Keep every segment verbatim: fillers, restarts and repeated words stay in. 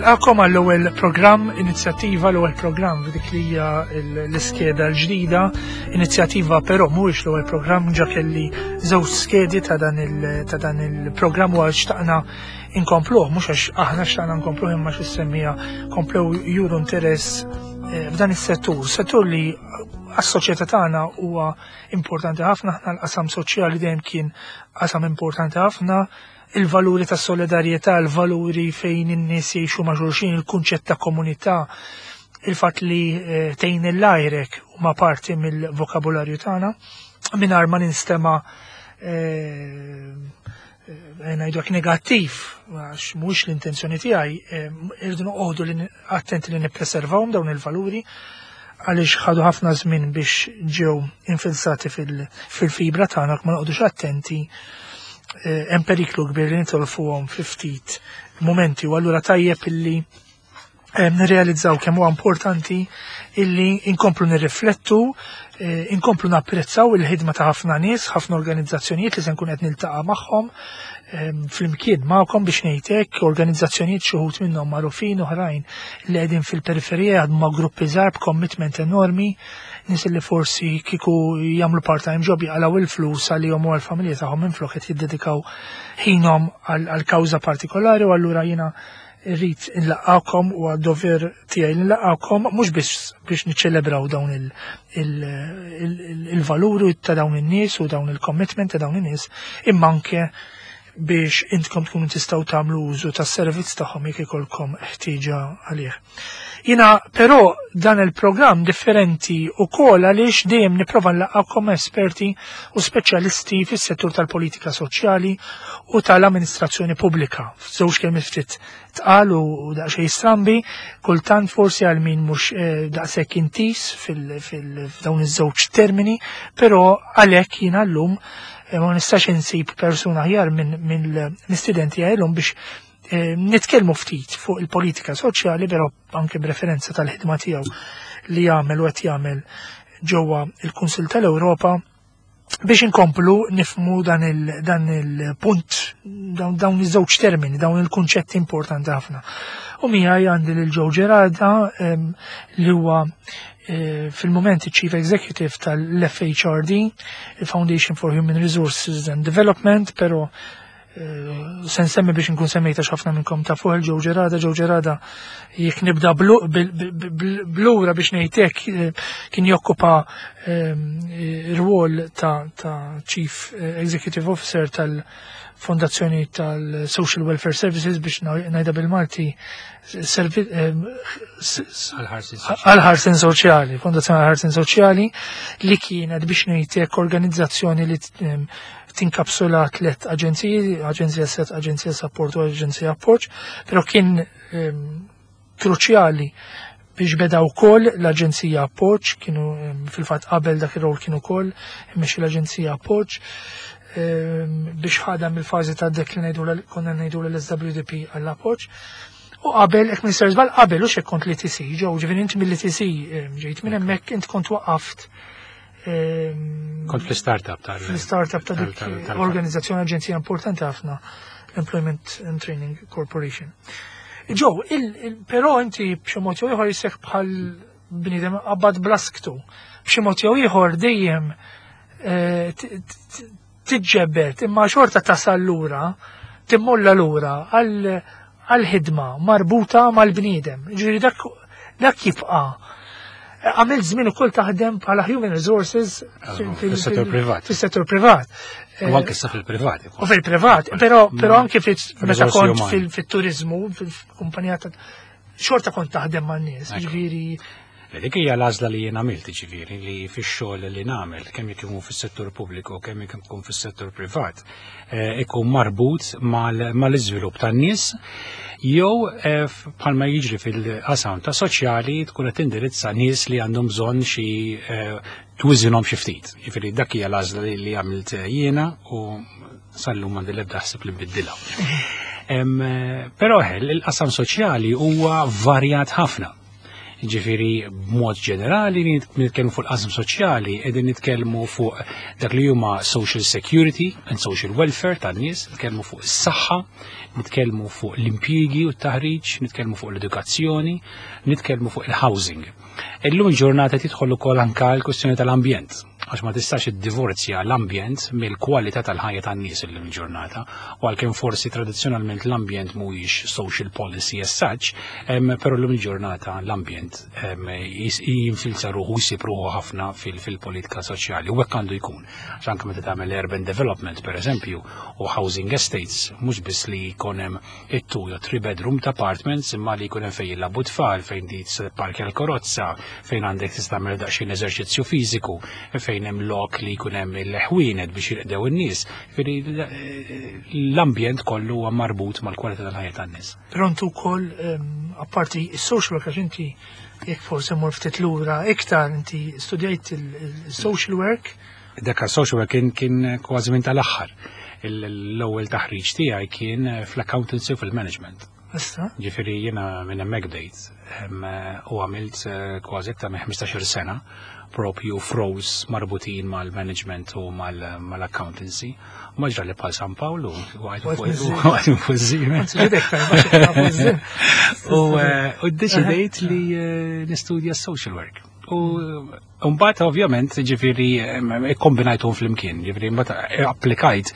Nilqakom għall-ewwel programm inizjattiva, l-ewwel programm f'dik li hija l-iskeda l-ġdida. Inizjattiva però mhuwiex l-ewwel programm, ġa kelli żewġ skedi ta' dan il ta' dan il-programm u xtaqna inkompluh, mhux għax aħna xtaqna nkompluh imma x'issemmija komplew juru interess eh, f'dan is-settur, settur li għas-soċjetà tagħna huwa importanti ħafna. Aħna l-qasam soċjali dejjem kien qasam importanti ħafna, il-valuri ta' solidarjetà, il-valuri fejn in-nies jgħixu ma' xulxin, il-kunċett ta' komunità, il-fatt li eh, tgħin il-lajrek huma parti mill-vokabularju tagħna, mingħajr ma ninstema' eh, eh, ngħidu hekk negattiv, għax mhuwiex l-intenzjoni tiegħi, irridu noqogħdu li attenti li nippreservawhom dawn il-valuri għaliex ħadu ħafna żmien biex ġew infilsati fil-fibra tagħna, ma noqogħdux attenti Eh, hemm periklu kbir li nitolfuhom fi ftit momenti u allura tajjeb illi eh, nirrealizzaw kemm huwa importanti illi inkomplu nirriflettu, eh, inkomplu napprezzaw il-ħidma ta' ħafna nies, ħafna organizzazzjonijiet li se nkun qed niltaqa' magħhom flimkien magħkom biex ngħidlek, organizzazzjonijiet xi wħud minnhom magħrufin, oħrajn li qegħdin fil-periferija ma' gruppi żgħar b'commitment enormi, nies li forsi kieku jagħmlu part-time job jaqalaw il-flus għalihom u għall-familja tagħhom, minflok qed jiddedikaw ħinhom għal kawża partikolari. U allura jiena rrid nlaqqakom u għad-dover tiegħi nlaqqakom mhux biss biex niċċelebraw dawn il-valuri ta' dawn in-nies u dawn il-commitment ta' dawn in-nies, imma anke biex intkom tkunu tistgħu tagħmlu użu tas-servizz tagħhom jekk ikolkom ħtieġa għalih. Jiena però dan il-programm differenti ukoll għaliex dejjem nipprova nlaqqakom esperti u speċjalisti fis-settur tal-politika soċjali u tal-amministrazzjoni pubblika. Żewġ kelmiet ftit tqal u daqsxejn strambi, kultant forsi għal min mhux eh, daqshekk intis fil-dawn iż-żewġ termini, però għalhekk jiena llum eh, ma nistax insib persuna aħjar minn mill-istudenti għajlum biex eh, nitkellmu ftit fuq il-politika soċjali, però anke b'referenza tal-ħidma tiegħu li jagħmel u qed jagħmel ġewwa il-Kunsill tal-Ewropa biex inkomplu nifmu dan il-punt, dawn iż-żewġ termini, dawn il-kunċetti importanti ħafna. U miegħi għandi lil Joe Gerada li huwa eh, fil-moment Chief Executive tal-F H R D, il-Foundation for Human Resources and Development, pero eh, se nsemmi biex nkun semmejta ħafna minnkom ta' fuq il-Joe Gerada. Joe Gerada, jekk nibda blura biex ngħidlek, eh, kien jokkupa rwol ta' Chief Executive Officer tal-Fondazzjoni tal-Social Welfare Services, biex ngħidha bil-Malti, għal-ħarsin soċjali, Fondazzjoni għal-ħarsin soċjali, li kienet biex ngħidlek organizzazzjoni li tinkapsula tlet aġenziji, Aġenzija Set, Aġenzija Support u Aġenzija Appoġġ, però kien kruċjali biex beda wkoll l-Aġenzija Appoġġ, kienu fil-fatt qabel dak ir-rol kienu wkoll imexxi l-Aġenzija Appoġġ biex ħadam il-fażi ta' dik li ngħidu konna ngħidu l-S W D P għall-appoġġ. U qabel, jekk m'iniex żball, qabel u xek kont l-E T C, ġew ġifieri inti mill-E T C ġejt minn hemmhekk, int kont waqaft. Kont fl-startup tal Fl-startup ta' dik organizzazzjoni, aġenzija importanti ħafna, l-Employment and Training Corporation. Joe, però inti b'xi mod jew ieħor jisek bħal bniedem qabad blasktu. B'xi mod jew ieħor dejjem eh, tiġġebbet imma xorta tasal lura, timmolla lura għal-ħidma marbuta mal-bniedem. Ġifieri dak dak jibqa' għamilt żmien ukoll taħdem bħala human resources fis-settur privat. Fis-settur privat. U anke sa fil-privat. U fil-privat, però però anke meta kont fil-turizmu, fil-kumpanija ta' xorta kont taħdem man-nies, ġifieri. Dik hija l-għażla li jien għamilt, ġifieri li fix-xogħol li nagħmel, kemm jekk ikun fis-settur pubbliku, kemm jekk ikun fis-settur privat, eh, ikun marbut mal-iżvilupp tan-nies jew eh, bħalma jiġri fil-qasam ta' soċjali tkun qed tindirizza nies li għandhom bżonn xi eh, twiżinhom xi ftit. Ġifieri dak hija l-għażla li għamilt jiena u sal-lum m'għandi l-ebda ħsieb li nbiddilha. Però il-qasam soċjali huwa varjat ħafna. Ġifieri, b'mod ġenerali, nitkellmu fuq il-qasam soċjali, qegħdin nitkellmu fuq dak li huma social security and social welfare tan-nies, nitkellmu fuq is-saħħa, nitkellmu fuq l-impjiegi u t-taħriġ, nitkellmu fuq l-edukazzjoni, nitkellmu fuq il-housing. Illum il-ġurnata tidħol ukoll anka l-kwestjoni tal-ambjent, għax ma tistax iddivorzja l-ambjent mill-kwalità tal-ħajja tan-nies illum il-ġurnata, u għalkemm forsi tradizzjonalment l-ambjent mhuwiex social policy as such, però llum il-ġurnata l-ambjent jinfilza ruħu, jsib ruħu ħafna fil-politika soċjali, u hekk għandu jkun. Għax anke meta tagħmel urban development, per eżempju, u housing estates, mhux biss li jkun hemm it-two jew three bedroom ta' apartments, imma li jkun hemm fejn jilagħbu tfal, fejn di parkja l-karozza, fejn għandek tista' tagħmel daqsxejn eżerċizzju fiżiku, fejn hemm lok li jkun hemm il-ħwienet biex jirqdew in-nies. L-ambjent kollu huwa marbut mal-kwalità tal-ħajja tan-nies. Però intu wkoll, apparti is-social work, għax inti jekk forsi mur ftit lura iktar, inti studjajt il-social work. Dak social work kien kien kważi minn tal-aħħar. L-ewwel taħriġ tiegħi kien fl-accountancy u fil-management. Issa? Ġifieri jiena minn hemmhekk bdejt u għamilt kważi aktar minn ħmistax-il sena propju f'roles marbutin mal-management u mal-accountancy. Ma ġrali bħal San Paolo, u għajt fuq iż-żiemel. U ddeċidejt li nistudja social work. U mbagħad ovvjament, ġifieri, ikkombinajthom flimkien, ġifieri mbagħad applikajt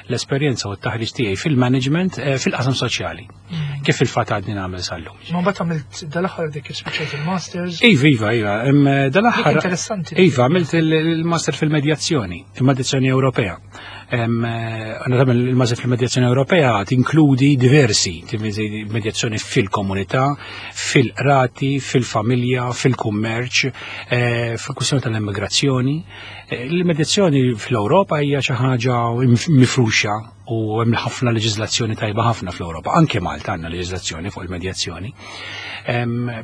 l-esperjenza u t-taħriġ tiegħi fil-management fil-qasam soċjali. Kif il-fatt għadni nagħmel sal-lum. Ma mbagħad għamilt dal-aħħar dik spiċċajt il-masters. Iva, iva, iva. Dal-aħħar. Interessanti. Iva, għamilt il-master fil-medjazzjoni, il-medjazzjoni Ewropea. Għanna tagħmel il-master fil-medjazzjoni Ewropea tinkludi diversi, medjazzjoni fil-komunità, fil-qrati, fil-familja, fil-kummerċ, fil-kwistjoni tal-immigrazzjoni. Il-medjazzjoni fl-Ewropa hija xi ħaġa mifruxa u hemm ħafna leġiżlazzjoni tajba ħafna fl-Ewropa. Anke Malta għandna leġiżlazzjoni fuq il-medjazzjoni.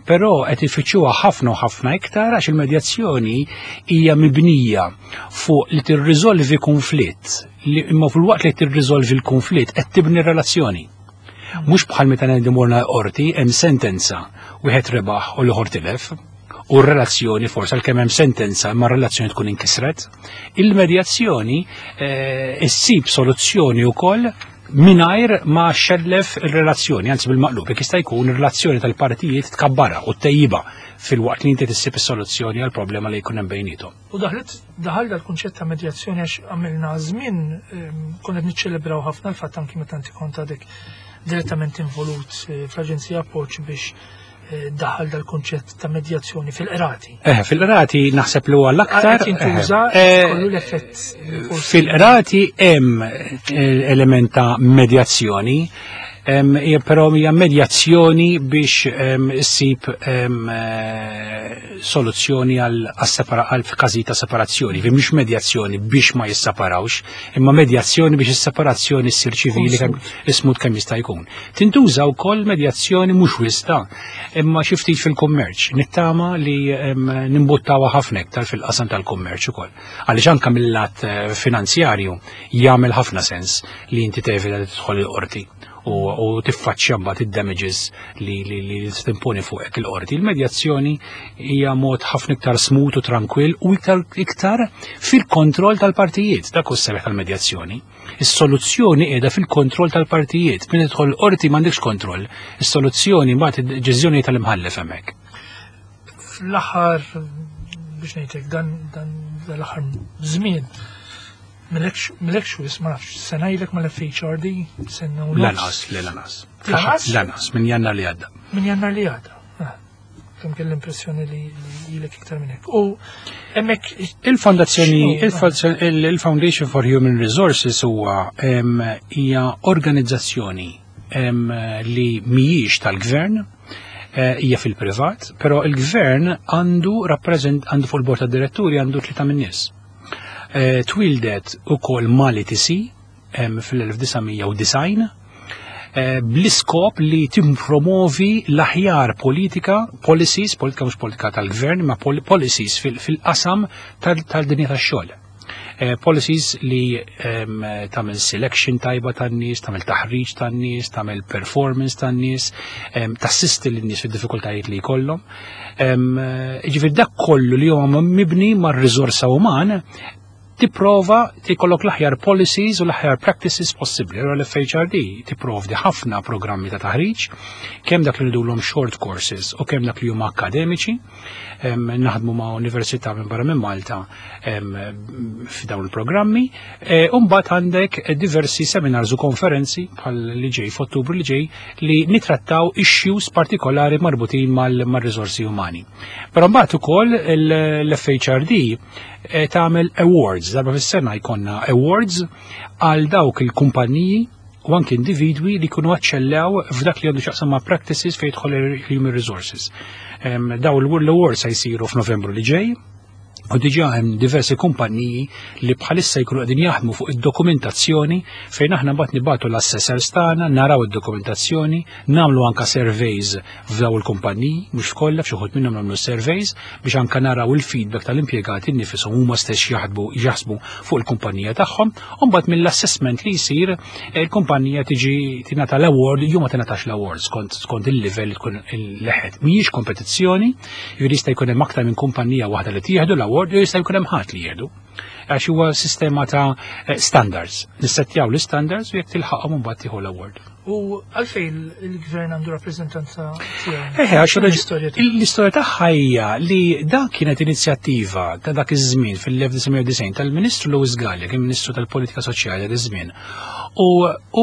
Però qed ifittxuha ħafna u ħafna iktar għax il-medjazzjoni hija mibnija fuq li tirriżolvi konflitt, li imma fil-waqt li tirriżolvi l-konflitt qed tibni relazzjoni. Mhux bħal meta ngħidu morna qorti, hemm sentenza, wieħed rebaħ u l-ieħor tilef, u r-relazzjoni forse għalkemm hemm sentenza imma r-relazzjoni tkun inkisret. Il-medjazzjoni issib soluzzjoni wkoll mingħajr ma xellef ir-relazzjoni, anzi bil-maqlub, jekk jista' jkun ir-relazzjoni tal-partijiet tkabbara u tejjiba fil-waqt li inti tissib is-soluzzjoni għal problema li jkun hemm bejniethom. U daħlet daħal dal-kunċett ta' medjazzjoni għax għamilna żmien konna qed niċċelebraw ħafna l-fatt anki meta inti kont għadek direttament involut fl-Aġenzija Appoġġ biex daħal dal-kunċett ta' medjazzjoni fil-qrati. Eh, fil-qrati naħseb li huwa l-aktar. Qed jintuża kollu l-effett. Fil-qrati hemm element ta' medjazzjoni, però hija medjazzjoni biex issib soluzzjoni għal każi ta' separazzjoni, fi mhux medjazzjoni biex ma jisseparawx, imma medjazzjoni biex is-separazzjoni ssir ċivili kemm ismut kemm jista' jkun. Tintuża wkoll medjazzjoni mhux wista, imma xi ftit fil-kummerċ. Nittama li nimbuttawha ħafna iktar fil-qasam tal-kummerċ ukoll. Għaliex anke mill-lat finanzjarju jagħmel ħafna sens li inti tevita tidħol il-qorti u tiffaċċja mbagħad id-damages li li li timponi fuqek il-qorti. Il-medjazzjoni hija mod ħafna iktar smooth u tranquill u iktar iktar fil-kontroll tal-partijiet. Dak hu s-sebħ tal-medjazzjoni. Is-soluzzjoni qiegħda fil-kontroll tal-partijiet. Min tidħol l-qorti m'għandekx kontroll. Is-soluzzjoni mbagħad id-deċiżjoni tal-imħallef hemmhekk. Fl-aħħar, biex ngħidlek, dan dan l-aħħar żmien Milekx wis, ma nafx, sena ilek mal-F H R D, sena u nofs. Lanqas, le lanqas. Lanqas? Lanqas, minn Jannar li għadda. Minn Jannar li għadda. Ah, kemm kelli l-impressjoni li ilek iktar minn hekk. U hemmhekk Il-fondazzjoni, X'inhu? il-Foundation for Human Resources huwa hija organizzazzjoni li mhijiex tal-gvern, eh, hija fil-privat, però il-gvern għandu rappreżent għandu fuq il-bord tad-diretturi għandu tlieta min-nies. Eh, Twildet ukoll mal-E T C fil-elf disa' mija u disgħin eh, bl-iskop li timpromovi l-aħjar politika, policies, politika mhux politika tal-gvern, ma policies fil-qasam tal-dinja tax-xogħol. Eh, policies li em, tagħmel selection tajba tan-nies, tagħmel taħriġ tan-nies, tagħmel performance tan-nies, em, tassisti lin-nies fid-diffikultajiet li jkollhom. Em, eh, Ġifieri dak kollu li huwa mibni mar-riżorsa uman tipprova tikollok l-aħjar policies u l-aħjar practices possibbli. Allora l-F H R D tipprovdi ħafna programmi ta' taħriġ, kemm dak li ngħidulhom short courses u kemm dak li huma akademiċi. Em, Naħdmu ma' università minn barra minn Malta em, f'dawn il-programmi. E, U mbagħad għandek diversi seminars u konferenzi bħal li ġej f'Ottubru li ġej li nitrattaw issues partikolari marbutin mal-riżorsi umani. Però mbagħad ukoll l-F H R D eh, tagħmel awards, darba fis-sena jkollna awards għal dawk il-kumpaniji u anke individwi li jkunu eċċellew f'dak li għandu x'jaqsam ma' practices fejn jidħol il-human resources. Em, Daw l-awards se jsiru f'Novembru li ġej, u diġà hemm diversi kumpaniji li bħalissa jkunu qegħdin jaħdmu fuq id-dokumentazzjoni fejn aħna mbagħad nibagħtu l-assessors tagħna, naraw id-dokumentazzjoni, nagħmlu anka surveys f'daw il-kumpaniji, mhux f'kollha, f'xi wħud minnhom nagħmlu surveys biex anka naraw il-feedback tal-impjegati nnifisom huma stess jaħdbu jaħsbu fuq il-kumpanija tagħhom, u mbagħad mill-assessment li jsir il-kumpanija tiġi tingħata l-award jew ma tingħatax l-award skont skont il-livell li tkun il-leħet. Mhijiex kompetizzjoni, jiġifieri jista' jkun hemm aktar minn kumpanija waħda li tieħdu l-award jew jista' jkun hemm ħadd li jieħdu. Għax huwa sistema ta' eh, standards. Nissettjaw l-standards u jekk tilħaqhom, mbagħad tieħu l-award. U għalfejn il-gvern għandu rappreżentanza tiegħu? Eħe, għax l-istorja tiegħu? L-istorja tagħha hija li dak kienet inizjattiva ta' dak iż-żmien fil-elf disa' mija u disgħin tal-Ministru Louis Galea, kien Ministru tal-Politika Soċjali dak iż-żmien. U,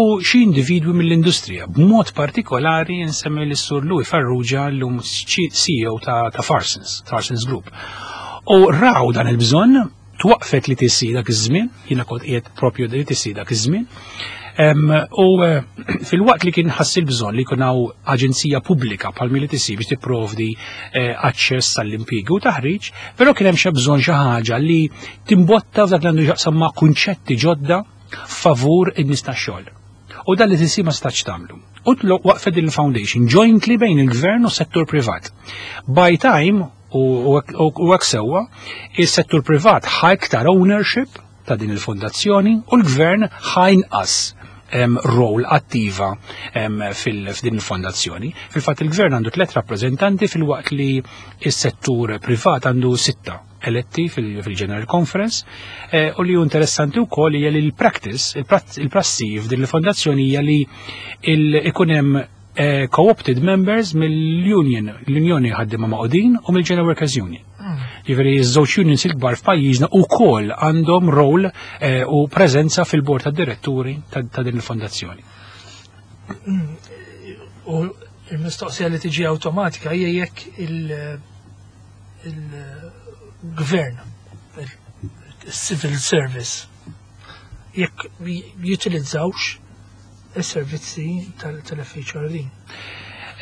u xi individwi mill-industrija, b'mod partikolari nsemmi l-Sur Louis Farrugia, llum C E O ta', ta Farsons, Farsons Group. U raw dan il-bżonn, twaqfet l-E T C dak iż-żmien, jiena kont qiegħed propju l-E T C dak iż-żmien. Em, U eh, fil-waqt li kien ħass il-bżonn li jkun hawn aġenzija pubblika bħal l-E T C biex tipprovdi eh, aċċess għall-impjiegi u taħriġ, però kien hemm xi bżonn xi ħaġa li timbotta f'dak li għandu x'jaqsam ma' kunċetti ġodda favur in-nies tax-xogħol. U dan l-E T C ma stax tagħmlu. U tlo waqfet din il-foundation jointly bejn il-gvern u settur privat. By time u u hekk sewwa, is-settur privat ħa iktar ownership ta' din il-fondazzjoni u l-gvern ħa inqas em, role attiva em, fil- f'din il-fondazzjoni. Fil-fatt il-gvern għandu tliet rappreżentanti fil-waqt li is-settur privat għandu sitta eletti fil- fil-General Conference eh, u li hu interessanti wkoll hija li l-practice, il-prassi f'din il-fondazzjoni hija li il- ikun hemm eh, co-opted members mill-union, l-Unjoni Ħaddiema Magħqudin u mill-General Workers Union. Ġifieri iż-żewġ unions il-kbar f'pajjiżna ukoll għandhom rol eh, u preżenza fil-bord tad-diretturi ta' ta' din il-fondazzjoni. U il-mistoqsija li tiġi awtomatika hija jekk il- il-gvern, il-civil service, jekk jutilizzawx is-servizzi tal-F H R D.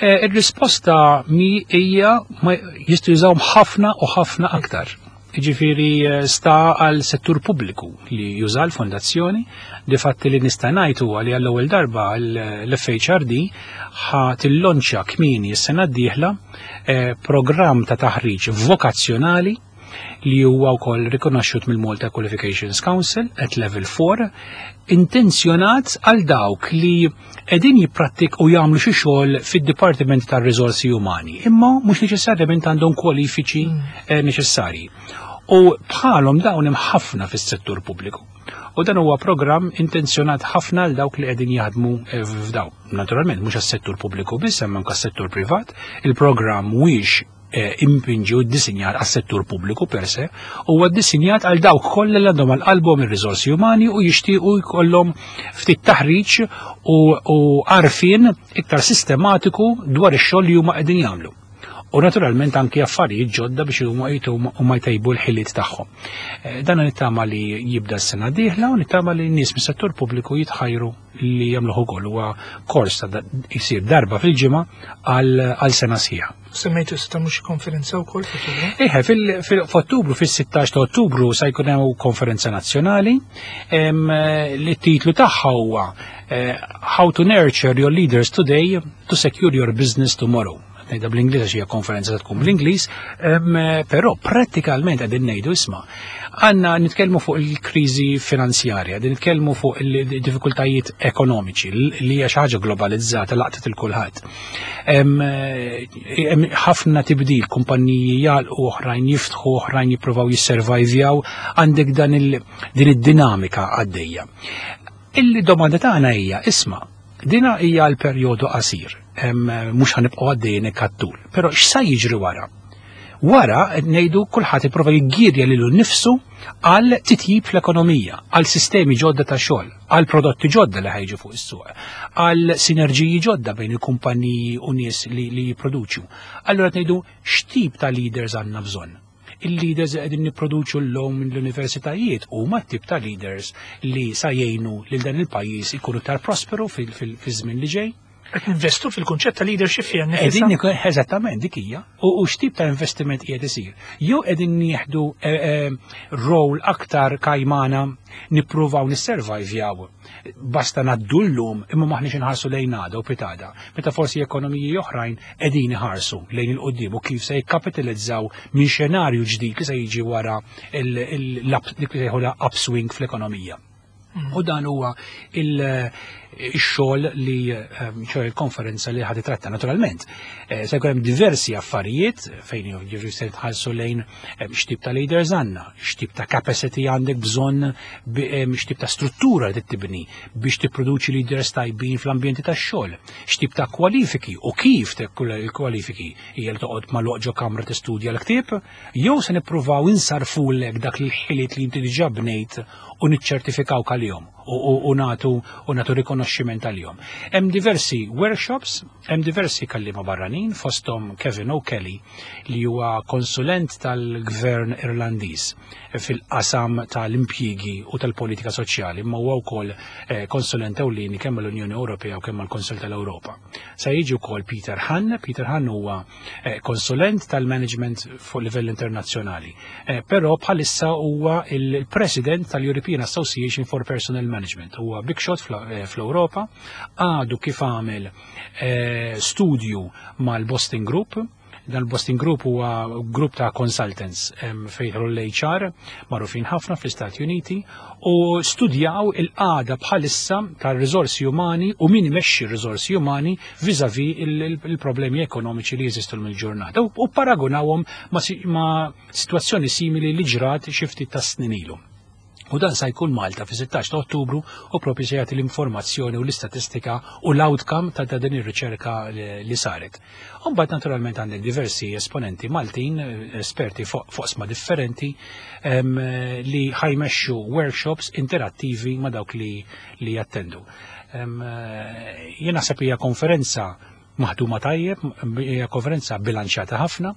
Eh, Il-risposta mi hija ma jistgħu jużawhom ħafna u ħafna aktar. Ġifieri eh, sta għal settur pubbliku li juża l-fondazzjoni, di fatti li nista' ngħid huwa li għall-ewwel darba l-F H R D ħa tillonċja kmieni s-sena d-dieħla eh, programm ta' taħriġ vokazzjonali li huwa wkoll rikonoxxut mill-Malta Qualifications Council at level four, intenzjonat għal dawk li qegħdin jipprattik u jagħmlu xi xogħol fid-Dipartiment tar-Riżorsi Umani, imma mhux neċessarjament għandhom kwalifiċi eh, neċessarji. U bħalhom dawn hemm ħafna fis-settur pubbliku. U dan huwa programm intenzjonat ħafna għal dawk li qegħdin jaħdmu eh, f'daw. Naturalment mhux għas-settur pubbliku biss, hemm anke s-settur privat. Il-programm mhuwiex eh, impinġi u ddisinjat għas-settur pubbliku per se, huwa ddisinjat għal dawk kollha li għandhom għal qalbhom ir-riżorsi umani u jixtiequ jkollhom ftit taħriġ u, u għarfien iktar sistematiku dwar ix-xogħol li huma qegħdin jagħmlu. U naturalment anki affarijiet ġodda biex huma huma jtejbu l-ħiliet tagħhom. Eh, Dan nittama li jibda s-sena dieħla u nittama li n-nies mis-settur pubbliku jitħajru li jagħmluh ukoll. Huwa kors ta' jsir darba fil-ġimgħa għal għal sena sħiħa. Semmejtu se tagħmlu xi konferenza wkoll f'Ottubru? Eħe, fil-Ottubru, fil-sittax ta' Ottubru, sa jkun hemm konferenza nazzjonali em, li t-titlu tagħha huwa eh, "How to Nurture Your Leaders Today to Secure Your Business Tomorrow". Ngħidha bl-Ingliż għax hija konferenza tkun bl-Ingliż, però prattikalment qegħdin ngħidu isma' għandna nitkellmu fuq il-kriżi finanzjarja, qegħdin nitkellmu fuq il-diffikultajiet ekonomiċi li hija xi ħaġa globalizzata laqtet il kulħadd. Hemm ħafna tibdil, kumpaniji jagħlqu, oħrajn jiftħu, oħrajn jippruvaw jisservajvjaw, għandek dan il din id-dinamika għaddejja. Il-domanda tagħna hija isma' dina hija l-perjodu qasir, mhux ħanibqgħu għaddejjin hekk għat-tul. Però x'sa jiġri wara? Wara qed ngħidu kulħadd ipprova jiggirja lilu nnifsu għal titjib fl-ekonomija, għal sistemi ġodda ta' xogħol, għal prodotti ġodda li ħajġu fuq is-suq, għal sinerġiji ġodda bejn il-kumpaniji u nies li, li jipproduċu. Allura qed ngħidu x'tip ta' leaders għandna bżonn? Il-leaders li qegħdin nipproduċu llum mill-universitajiet huma t-tip ta' leaders li sa jgħinu lil dan il-pajjiż ikunu iktar prosperu fil-żmien li ġej. Qed ninvestu fil-kunċett ta' leadership fiha Qegħdin nikun eżattament dik hija. U x'tip ta' investiment qiegħed isir? Jew qegħdin nieħdu role aktar kajmana nippruvaw nisservajvjaw basta ngħaddu llum imma maħniex inħarsu lejn għada u pitada. Meta forsi ekonomiji oħrajn qegħdin iħarsu lejn il-qudiem u kif se jikkapitalizzaw minn xenarju ġdid li se jiġi wara dik li sejħulha upswing fl-ekonomija. U dan huwa il-xogħol li ċoè il-konferenza li ħad tratta naturalment. Se jkun hemm diversi affarijiet fejn jiġri se tħallsu lejn x'tip ta' leaders għandna, x'tip ta' capacity għandek bżonn, x'tip ta' struttura li tibni biex tipproduċi leaders tajbin fl-ambjenti tax-xogħol, x'tip ta' kwalifiki u kif il-kwalifiki hija li toqgħod magħluq ġo kamra tistudja l-ktieb, jew se nippruvaw insarfulek dak il-ħiliet li inti diġà bnejt u niċċertifikaw għalihom u nagħtu u nagħtu rikonoxximent għalihom. Hemm diversi workshops, hemm diversi kallima barranin, fosthom Kevin O'Kelly li huwa konsulent tal-Gvern Irlandiż fil-qasam tal-impjiegi u tal-politika soċjali, imma huwa wkoll konsulent ewlieni kemm mal-Unjoni Ewropea u kemm mal-Kunsill tal-Ewropa. Sa jiġi wkoll Peter Hahn. Peter Hahn huwa konsulent tal-management fuq livell internazzjonali, però bħalissa huwa il-president tal-European Association for Personnel Management. Huwa big shot fl-Ewropa, għadu kif għamel studju mal-Boston Group. Dan il-Boston Group huwa grupp ta' consultants fejn l-H R magħrufin ħafna fl-Istati Uniti u studjaw il-qagħda bħalissa tal-riżorsi umani u min imexxi r-riżorsi umani vis-à-vis il-problemi ekonomiċi li jeżistu mill-ġurnata u paragunawhom ma' situazzjoni simili li ġrat xi ftit ta' snin ilu. U dan sa jkun Malta fi sittax ta' Ottubru u propju se jagħti l-informazzjoni u l-istatistika u l-outcome ta' din ir-riċerka li saret. U mbagħad naturalment għandek diversi esponenti Maltin, esperti fuq oqsma differenti, li ħajmexxu workshops interattivi ma' dawk li, li jattendu. Jien naħseb hija konferenza maħduma tajjeb, hija konferenza bilanċjata ħafna,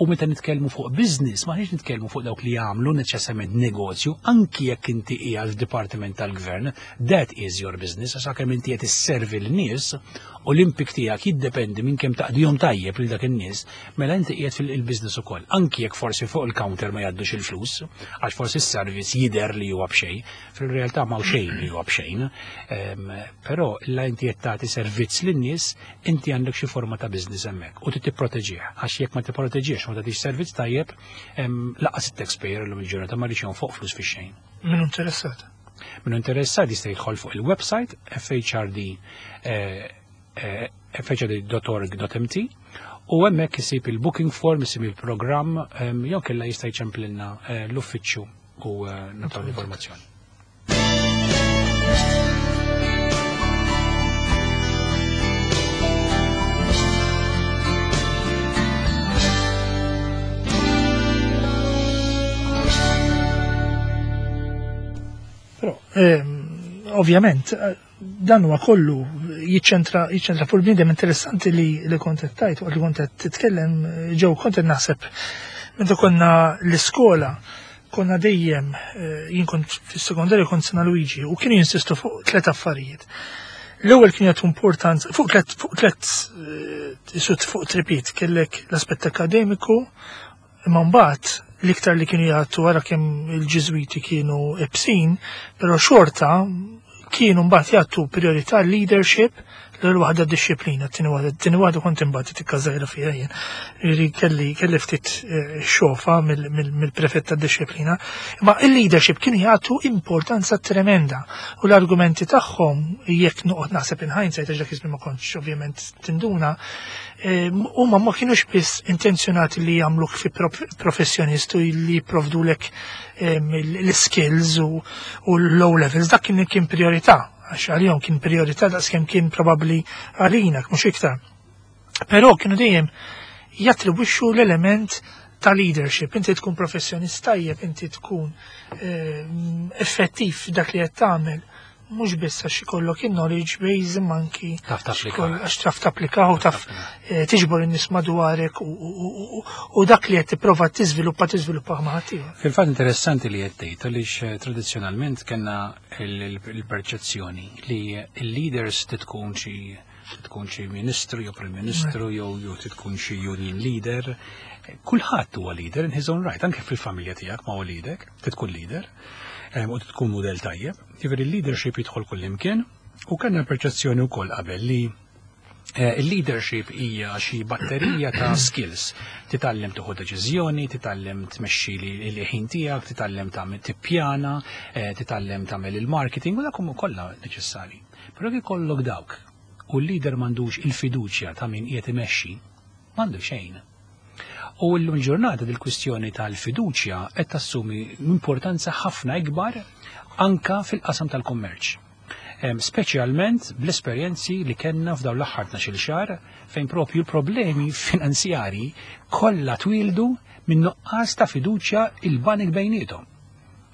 u meta nitkellmu fuq business, ma nitkellmu fuq dawk li jagħmlu neċessarjament negozju, anki jekk inti qiegħed f'dipartiment tal-gvern, that is your business, għax kemm inti qed isservi l-nies u l-impik tiegħek jiddependi minn kemm taqdihom tajjeb lil dak in-nies, mela inti qiegħed fil-business ukoll. Anki jekk forsi fuq il-counter ma jgħaddux il-flus, għax forsi s-servizz jidher li huwa b'xejn, fil-realtà ma xejn li huwa b'xejn, però la inti qed tagħti servizz lin-nies, inti għandek xi forma ta' business hemmhekk u trid tipproteġih, għax jekk ma tipproteġihx ma tagħtix servizz tajjeb, lanqas it-taxpayer illum il-ġurnata ma rridx fuq flus fix-xejn. Min interessat? Min interessat jista' jidħol fuq il-website F H R D, eh, F H R D dot org dot M T u hemmhekk isib il-booking form, isib il-programm, jew kella jista' jċemplilna, eh, l-uffiċċju u, eh, nagħtu l-informazzjoni. Però, ehm, ovvjament, dan huwa kollu jiċċentra, jiċċentra fuq il-bniedem. Interessanti li, li kont qed tgħid, waqt li kont qed titkellem, ġew kont qed naħseb meta konna l-iskola, konna dejjem, eh, jien kont fis-sekondarju kont Sena Luigi, u kienu jinsistu fuq tliet affarijiet. L-ewwel kien jagħtu importanza fuq tliet, fuq tliet, eh, isut fuq tripit, kellek l-aspett akademiku, imma mbagħad l-iktar li kienu jagħtu wara kemm il-Ġiżwiti kienu ibsin, però xorta kienu mbagħad jagħtu priorità leadership, L-ewwel waħda dixxiplina, t-tieni waħda, t-tieni waħda kont imbagħad tikka żgħira fiha jien. Jiġifieri kelli kelli ftit eh, xofa mill-prefett tad-dixxiplina. Ma il-leadership kienu jagħtu importanza tremenda u l-argumenti tagħhom, jekk noqgħod naħseb in hindsight, għax dak iż-żmien ma kontx ovvjament tinduna, eh, huma ma kienux biss intenzjonati li jagħmluk fi professjonist u li jipprovdulek l-skills u l-O levels, dak kien kien priorità, għax għalihom kien priorità daqskemm kien probabbli għalina, mhux iktar. Però kienu dejjem jattribwixxu l-element ta' leadership. Inti tkun professjonist tajjeb, inti tkun effettiv dak li qed tagħmel, mhux biss għax ikollok il-knowledge base imma anki Taf tapplika. għax taf tapplika u taf eh, tiġbor in-nies madwarek u- u u dak li qed tipprova tiżviluppa tiżviluppa ma' ħaddieħor. Fil-fatt interessanti li qed tgħid għaliex eh, tradizzjonalment kellna il-perċezzjoni li il-leaders tkun xi tkun xi ministru jew prim ministru jew jew tkun xi union leader. Kulħadd huwa leader in his own right, anke fil-familja tiegħek ma' wliedek, tkun leader em, u tkun mudell tajjeb. Jiġifieri il-leadership jidħol kullimkien u kellna perċezzjoni wkoll qabel li Eh, Il-leadership hija xi batterija ta' skills. Titgħallem tieħu deċiżjoni, titgħallem tmexxi li l-ħin tiegħek, titgħallem tagħmel tippjana, eh, titgħallem tagħmel il-marketing u dak huma kollha neċessarji. Però jekk ikollok dawk u l-leader m'għandux il-fiduċja ta' min qiegħed imexxi, m'għandu xejn. U llum ġurnata dil-kwistjoni tal-fiduċja qed tassumi importanza ħafna ikbar anka fil-qasam tal-kummerċ. Em, Speċjalment bl-esperjenzi li kellna f'dawn l-aħħar tnax-il xahar fejn propju l-problemi finanzjari kollha twildu minn nuqqas ta' fiduċja il-banek bejniethom.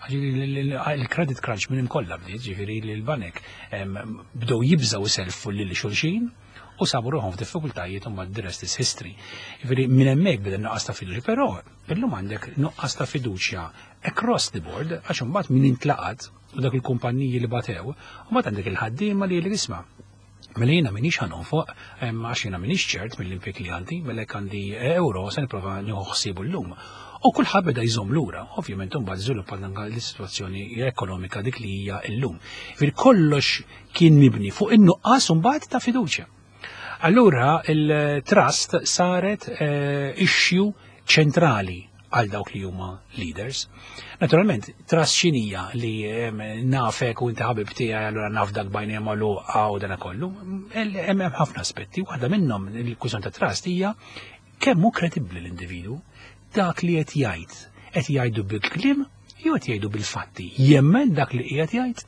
Għax il- il- Il-credit crunch minn kollha bdiet, ġifieri li l-banek em, bdew jibżgħu iselfu lil xulxin u sabu ruħhom f'diffikultajiet u mbagħad the rest is history. Ġifieri minn hemmhekk beda nuqqas ta' fiduċja, però illum għandek nuqqas ta' fiduċja across the board għax imbagħad min intlaqat u dak il-kumpanniji li batew, u mbagħad għandek il-ħaddiema li li isma' Mela jiena minix ħa nonfoq, għax jiena minix ċert mill-impjieg li għandi, mela jekk għandi euro se nipprova nieħu ħsiebu llum. U kulħadd beda jżomm lura, ovvjament imbagħad żviluppa l-sitwazzjoni ekonomika dik li hija llum. Fil kollox kien mibni fuq in-nuqqas imbagħad ta' fiduċja. Allura il-trust saret eh, issue ċentrali għal dawk li huma leaders. Naturalment, trust x'inhija li em, nafek u inti ħabib tiegħi allura nafdak b'għajnejja magħluqa u dana kollu. Hemm hemm ħafna aspetti, waħda minnhom il-kwistjoni ta' trust hija kemm hu kredibbli l-individu, dak li qed jgħid, qed jgħidu bil-kliem jew qed jgħidu bil-fatti. Jemmen dak li qiegħed jgħid,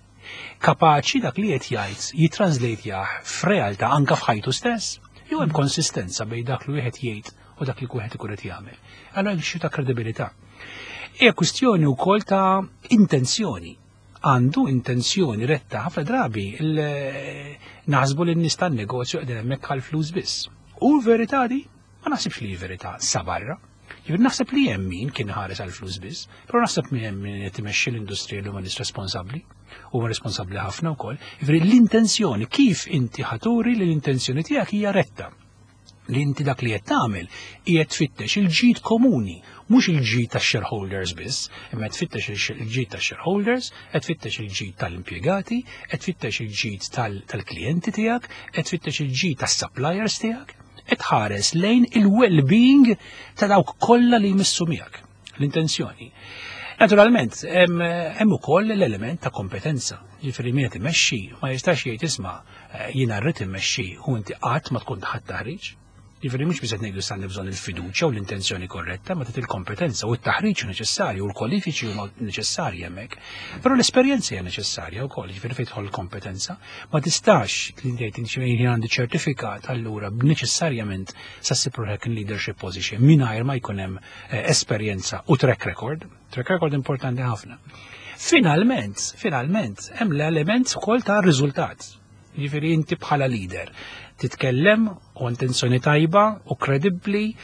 kapaċi dak li qed jgħid jitranslate f'realtà anka f'ħajtu stess, jew hemm konsistenza bejn dak li wieħed jgħid u dak li wieħed ikun qed jagħmel. Allora hemm xi ta' kredibilità. Hija kwistjoni wkoll ta' intenzjoni. Għandu intenzjoni retta ħafna drabi il- naħsbu li n-nies tan-negozju qegħdin hemmhekk għal flus biss. U l-verità di ma naħsibx li hi verità sa barra. Jiġifieri naħseb li hemm min kien ħares għal flus biss, però naħseb min hemm min qed imexxi l-industrija li huma nies responsabbli, huma responsabbli ħafna wkoll. Jiġifieri l-intenzjoni kif inti ħa turi li l-intenzjoni tiegħek hija retta, li inti dak li qed tagħmel qiegħed tfittex il-ġid komuni, mhux il-ġid tax-shareholders biss, imma qed tfittex il-ġid tax-shareholders, qed tfittex il-ġid tal-impjegati, qed tfittex il-ġid tal-klijenti tiegħek, qed tfittex il-ġid tas-suppliers tiegħek, qed tħares lejn il-well-being ta' dawk kollha li jmissu miegħek, l-intenzjoni. Naturalment, hemm ukoll l-element ta' kompetenza. Ġifieri min qed imexxi ma jistax jgħid, "Isma', eh, jiena rrid immexxi", u inti qatt ma tkun taħt taħriġ. Ġifieri mhux biss qed ngħidu sanni bżonn il-fiduċja u l-intenzjoni korretta, ma tit il-kompetenza u t-taħriġ neċessarju u l-kwalifiċi huma neċessarji hemmhekk. Però l-esperjenza hija neċessarja wkoll, ġifieri fejn tidħol il-kompetenza. Ma tistax li tgħid jien għandi ċertifikat, allura neċessarjament sa ssib ruħek in leadership position mingħajr ma jkun hemm eh, esperjenza u track record. Track record importanti ħafna. Finalment, finalment, hemm l-element ukoll ta' riżultat. Ġifieri inti bħala leader titkellem u intenzjoni tajba u kredibbli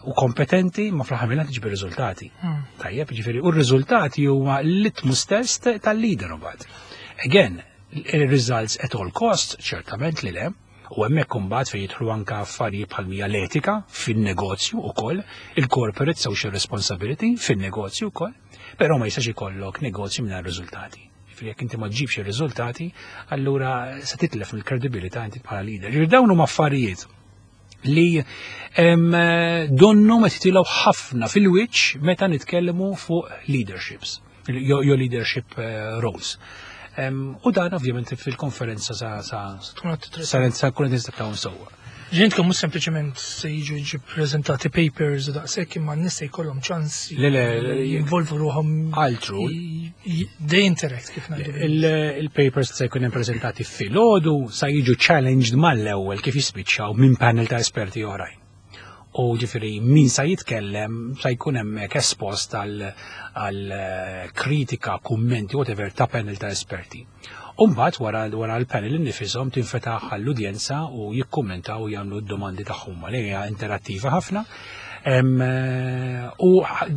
u kompetenti, ma fl-aħħar mill tiġbi riżultati. Hmm. Tajjeb, ġifieri u r-riżultati huma l-litmus test tal-leader imbagħad. Again, results at all costs, ċertament li le, u hemmhekk imbagħad fejn jidħlu anke affarijiet bħal mija l-etika fin-negozju ukoll, il-corporate social responsibility fin-negozju wkoll, però ma jistax ikollok negozju mingħajr riżultati. Ġifieri jekk inti ma ġġibx ir-riżultati, allura se titlef mill-kredibilità inti bħala leader. Ġifieri dawn huma affarijiet li donnu ma titilgħu ħafna fil-wiċċ meta nitkellmu fuq leaderships, jew leadership eh, roles. U dan ovvjament fil-konferenza sa sa sa sa kun qed sewwa. Ġentkom mhux sempliċement se jiġu jiġu prezentati papers u daqshekk, imma n-nies se jkollhom ċans Le, le, jinvolvu ruħhom. Altru. They interact, kif ngħidu. Il-papers se jkun prezentati filgħodu sa jiġu challenged mal-ewwel kif jispiċċaw minn panel ta' esperti oħrajn. U ġifieri min sa jitkellem sa jkun hemmhekk espost għal kritika, kummenti, whatever, ta' panel ta' esperti. Umbat wara wara l-panel innifisom tinfetaħ għall-udjenza u jikkummentaw u jagħmlu d-domandi tagħhom li hija interattiva ħafna. U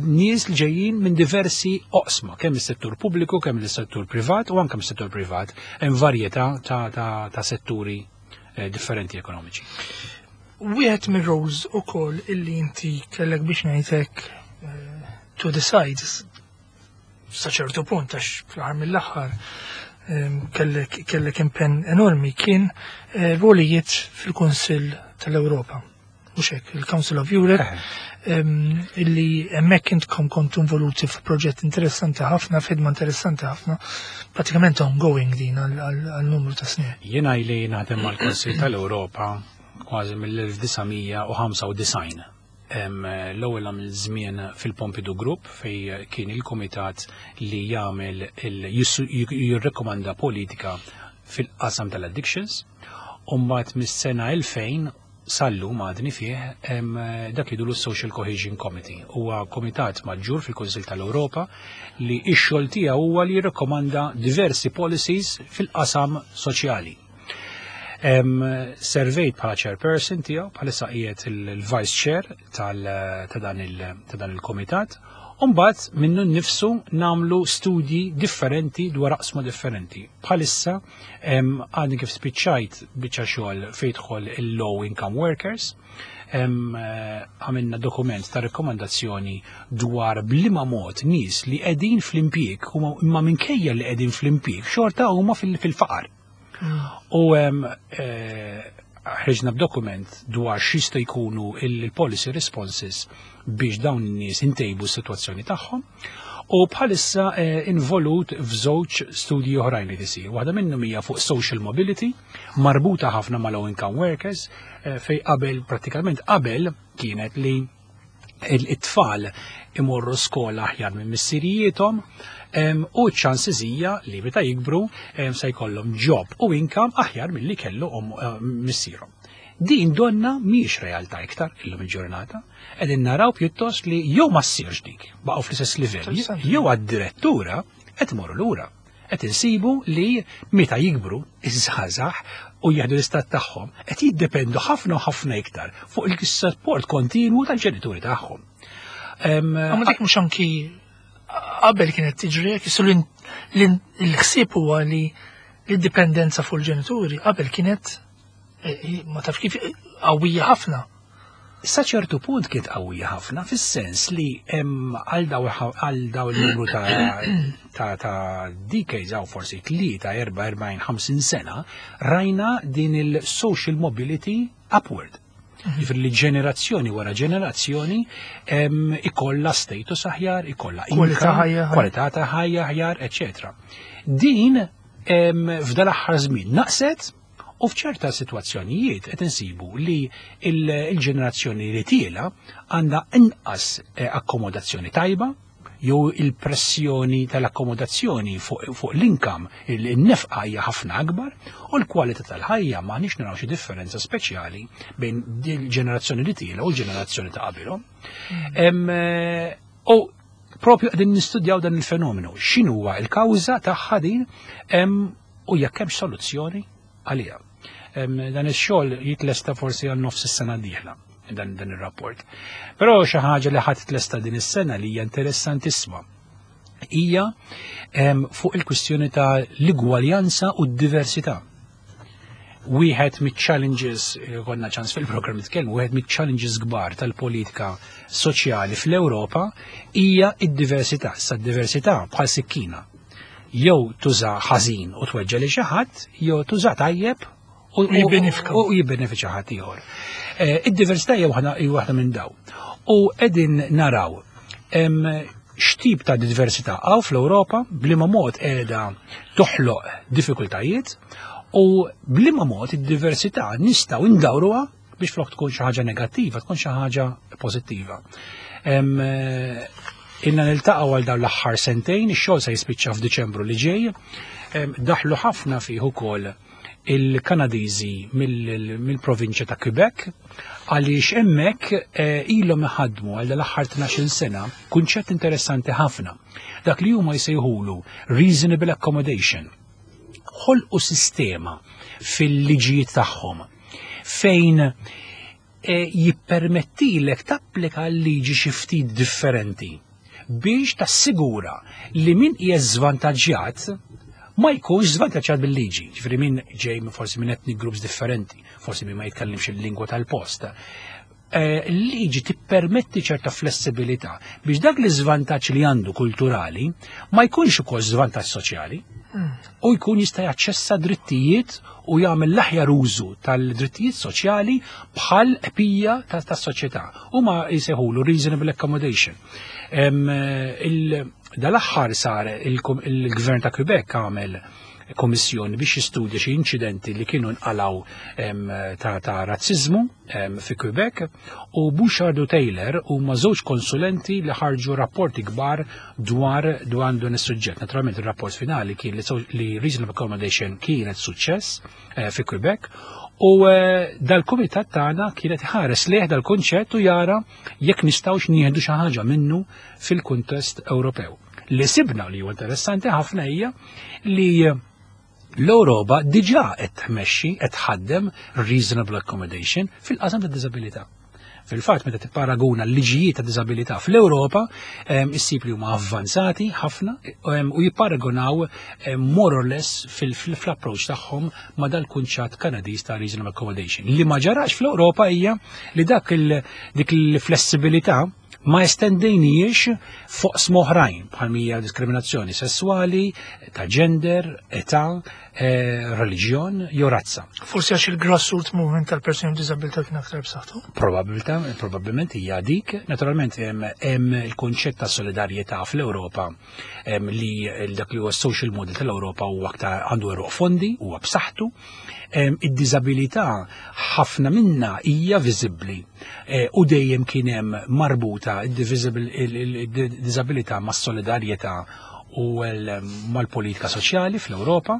nies li ġejjin minn diversi oqsma, kemm is-settur pubbliku, kemm is-settur privat u anke mis-settur privat, hemm varjetà ta', ta, ta setturi eh, differenti ekonomiċi. Wieħed mir-roles ukoll illi inti kellek, biex ngħidlek, eh, to decide sa ċertu punt, għax fl-aħħar mill-aħħar kellek kellek impenn enormi, kien eh, rolijiet fil-Kunsill tal-Ewropa. Mhux hekk, il-Council of Europe, illi hemmhekk intkom kontu involuti f'proġett interessanti ħafna, f'ħidma interessanti ħafna, pratikament ongoing din għal numru ta' snin. Jiena ili naħdem mal-Kunsill tal-Ewropa kważi mill-elf disa' mija u ħamsa u disgħin. L-ewwel għamil żmien fil-Pompidou Group, fej kien il-komitat li jagħmel jirrekomanda politika fil-qasam tal-addictions. U mbagħad mis-sena elfejn sal-lum għadni fih dak li jgħidulu Social Cohesion Committee. Huwa komitat maġġur fil-Kunsill tal-Ewropa li x-xogħol tiegħu huwa li jirrekomanda diversi policies fil-qasam soċjali. Servejt bħala chairperson tiegħu, bħalissa qiegħed il-vice chair ta' dan il-komitat. Umbat minnu nnifsu nagħmlu studji differenti dwar oqsma differenti. Bħalissa għadni kif spiċċajt biċċa xogħol fejn jidħol il-low income workers. Għamilna dokument ta' rekomandazzjoni dwar b'liema mod nies li qegħdin fl-impjieg imma minkejja li qegħdin fl-impjieg xorta huma fil-faqar. U eh, ħriġna b'dokument dwar x'jista' jkunu il-policy responses biex dawn in-nies intejbu s-sitwazzjoni tagħhom. U bħalissa eh, involut f'żewġ studji oħrajn li tisir. Waħda minnhom hija fuq social mobility, marbuta ħafna ma' low income workers, eh, fej qabel, pratikament qabel kienet li it-tfal imorru skola aħjar minn missirijiethom u ċ-chances hija li meta jikbru se jkollhom job u income aħjar milli kellu missierhom. Din donna mhix realtà iktar illum il-ġurnata. Qegħdin naraw pjuttost li jew ma ssirx dik, baqgħu fl-istess livell, jew għad-direttura qed imorru lura. Qed insibu li meta jikbru iż-żgħażagħ u jieħdu l-istat tagħhom qed jiddependu ħafna u ħafna iktar fuq il-support kontinwu tal-ġenituri tagħhom. Ma dik mhux anki qabel kienet tiġri, jissu l-ħsieb huwa li l-dipendenza fuq il-ġenituri qabel kienet eh, ma taf kif qawwija ħafna. Sa ċertu punt kienet qawwija ħafna, fis-sens li hemm għal daw għal daw il-numru ta' ta' ta' decades għaw forsi tlieta, erba', erbgħin, ħamsin sena, rajna din il-social mobility upward. Ġifieri li ġenerazzjoni wara ġenerazzjoni em, ikolla status aħjar, ikolla kwalità income, ħajja. Kwalità ta' ħajja aħjar, eċetera. Din em, f'dal aħħar żmien naqset u f'ċerta sitwazzjonijiet qed insibu li il- il-ġenerazzjoni li tiela għandha inqas eh, akkomodazzjoni tajba jew il-pressjoni tal-akkomodazzjoni fuq fuq l-income, il-nefqa hija ħafna akbar u l-kwalità tal-ħajja ma nix naraw xi differenza speċjali bejn il-ġenerazzjoni li tiela u l-ġenerazzjoni ta' qabilhom. Em, eh, U propju qegħdin nistudjaw dan il-fenomenu, x'inhuwa il-kawża tagħha din em, u jekk hemm soluzzjoni għaliha. Em, Dan ix-xogħol jitlesta forsi għal nofs is-sena d-dieħla dan, dan ir-rapport. Però xi ħaġa li ħadd tlesta din is-sena li hija interessantissima hija em, fuq il-kwistjoni ta' l-igwaljanza u d-diversità. Wieħed mit-challenges, eh, konna ċans fil-programm nitkellmu, wieħed mit-challenges kbar tal-politika soċjali fl-Ewropa hija id-diversità. Sa d-diversità bħal sikkina. Jew tuża ħażin u tweġġa li xi ħadd, jew tuża tajjeb u jibbenefika. U jibbenefika ħadd ieħor. Id-diversità hija waħda minn daw. U qegħdin naraw x'tip ta' diversità hawn fl-Ewropa, b'liema mod qiegħda toħloq diffikultajiet u b'liema mod id-diversità nistgħu ndawruha biex flok tkun xi ħaġa negattiva, tkun xi ħaġa pożittiva. Ilna niltaqgħu għal dawn l-aħħar sentejn, ix-xogħol se jispiċċa f'Diċembru li ġej, daħlu ħafna fih ukoll il-Kanadiżi mill-provinċja ta' Quebec, għaliex hemmhekk ilhom iħaddmu għal l-aħħar tnax-il sena kunċett interessanti ħafna. Dak li huma jsejħulu reasonable accommodation. Ħolqu sistema fil-liġijiet tagħhom fejn jippermettilek tapplika l-liġi xi ftit differenti biex tassigura li min hija żvantaġġjat ma jkunx żvantaġġjat bil-liġi. Ġifieri min ġej forsi minn ethnic groups differenti, forsi min ma jitkellimx il-lingwa tal-post. Il-liġi tippermetti ċerta flessibilità biex dak li żvantaġġ li għandu kulturali ma jkunx ukoll żvantaġġ soċjali u jkun jista' jaċċessa drittijiet u jagħmel l-aħjar użu tal-drittijiet soċjali bħal bqija tas-soċjetà. Huma jsejħulu reasonable accommodation. Dal-aħħar sar il-gvern ta' Quebec għamel kommissjoni biex jistudja xi inċidenti li kienu nqalaw ta', ta razzizmu fi Quebec, u Bouchard u Taylor huma żewġ konsulenti li ħarġu rapporti kbar dwar dwar dan is-suġġett. Naturalment ir-rapport finali kien li reasonable accommodation kienet suċċess eh, fi Quebec, u eh, dal-kumitat tagħna kienet ħares lejh dal-kunċett u jara jekk nistgħux nieħdu xi ħaġa minnu fil-kuntest Ewropew. Li sibna li huwa interessanti ħafna hija li l-Ewropa diġà qed tmexxi, qed tħaddem reasonable accommodation fil-qasam ta' diżabilità. Fil-fatt, meta tipparaguna l-liġijiet ta' diżabilità fl-Ewropa, issib li huma avvanzati ħafna u jipparagunaw more or less fil-approach tagħhom ma' dal-kunċett Kanadiż ta' reasonable accommodation. Li ma ġarax fl-Ewropa hija li dak dik il-flessibilità ma estendejniex fuq oħrajn bħal mija diskriminazzjoni sessuali, ta' gender, età, eh, reliġjon jew razza. Forsi għax il-grassroots movement tal-persuni b'diżabilità kien aktar b'saħħtu? Probabilità, probabbilment hija dik. Naturalment hemm il-kunċett ta' solidarjetà fl-Ewropa li dak li huwa social model tal-Ewropa huwa aktar għandu għeruq fondi, huwa b'saħħtu. Id-diżabilità ħafna minna hija viżibbli eh, u dejjem kien hemm marbuta id-diżabilità mas-solidarjetà u mal-politika soċjali fl-Ewropa,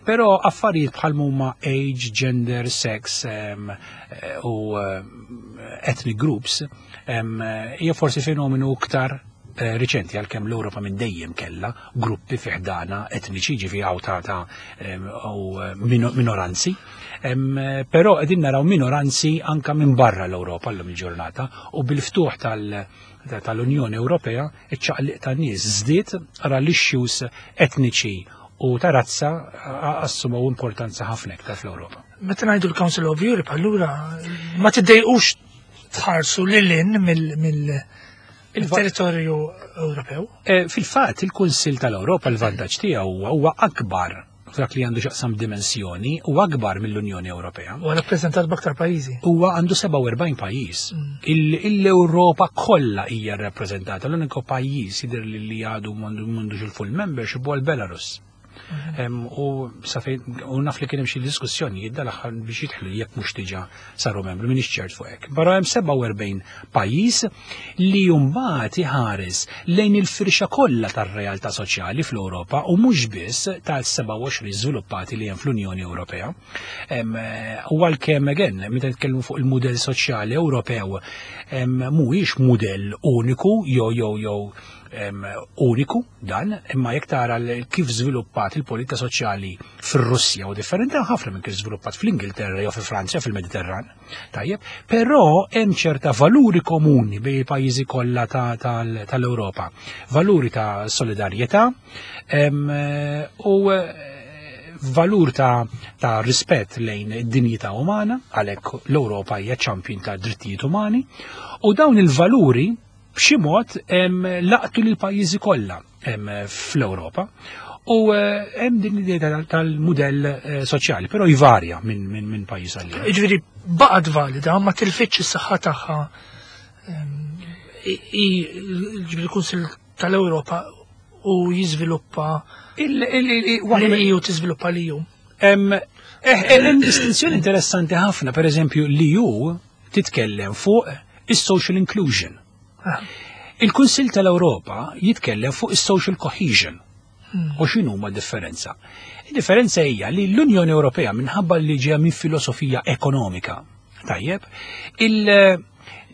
però affarijiet bħal huma age, gender, sex u ethnic groups hija forsi fenomenu iktar eh, riċenti, għalkemm l-Ewropa minn dejjem kella gruppi fi ħdana etniċi, ġifi għaw ta' ta' u minoranzi. Però qegħdin naraw minoranzi anka minn barra l-Ewropa llum il-ġurnata, u bil-ftuħ tal- tal-Unjoni Ewropea iċ-ċaqliq ta' nies żdied, ara l-issues etniċi u ta' razza assumaw importanza ħafna iktar fl-Ewropa. Meta ngħidu l-Council of Europe, allura ma tiddejqux tħarsu lil hinn mill il-territorju Ewropew? Eh, fil-fatt, il-Kunsill tal-Ewropa l-vantaġġ tiegħu huwa akbar f'dak li għandu x'jaqsam dimensjoni u akbar mill-Unjoni Ewropea. U rappreżentat b'aktar pajjiżi. Huwa għandu sebgħa u erbgħin pajjiż. Mm. L-Ewropa kollha hija rappreżentata. L-uniku pajjiż jidher li għadu m'għandux il-full membership huwa l-Belarus. Mhm. U u naf li kien hemm xi diskussjonijiet dal-aħħar biex jidħlu, jekk mhux diġà saru membri, m'iniex ċert fuq hekk. Barra hemm sebgħa u erbgħin pajjiż li mbagħad iħares lejn il-firxa kollha tar-realtà soċjali fl-Ewropa u mhux biss tal-sebgħa u għoxrin żviluppati li hemm fl-Unjoni Ewropea. U għalkemm, again, meta nitkellmu fuq il-mudell soċjali Ewropew, mhuwiex mudell uniku jew jew jew uniku dan, imma jekk tara kif żviluppat il-politika soċjali fir-Russja u differenti ħafna minn kif żviluppat fl-Ingilterra jew fi Franza fil-Mediterran. Tajjeb, però hemm ċerta valuri komuni bejn il-pajjiżi kollha tal-Ewropa. Valuri ta' solidarjetà u valur ta', ta rispett lejn id-dinjità umana, għalhekk l-Ewropa hija champion ta' drittijiet umani, u dawn il-valuri b'xi mod laqtu lil pajjiżi kollha fl-Ewropa. U eh, hemm din l-idea tal-mudell eh, soċjali, però jvarja minn min, min pajjiż għal ieħor. Ġifieri baqgħet valida, ma tilfitx is-saħħa tagħha. Ġifieri il-Kunsill tal-Ewropa u jiżviluppa l-E U tiżviluppa l-E U. Hemm eh, distinzjoni interessanti ħafna, per eżempju, l-E U titkellem fuq is-social inclusion. Ah. Il-Kunsill tal-Ewropa jitkellem fuq is-social cohesion. Hmm. U x'inhu ma differenza? Il-differenza hija li l-Unjoni Ewropea, minħabba li ġeja minn filosofija ekonomika, tajjeb, il-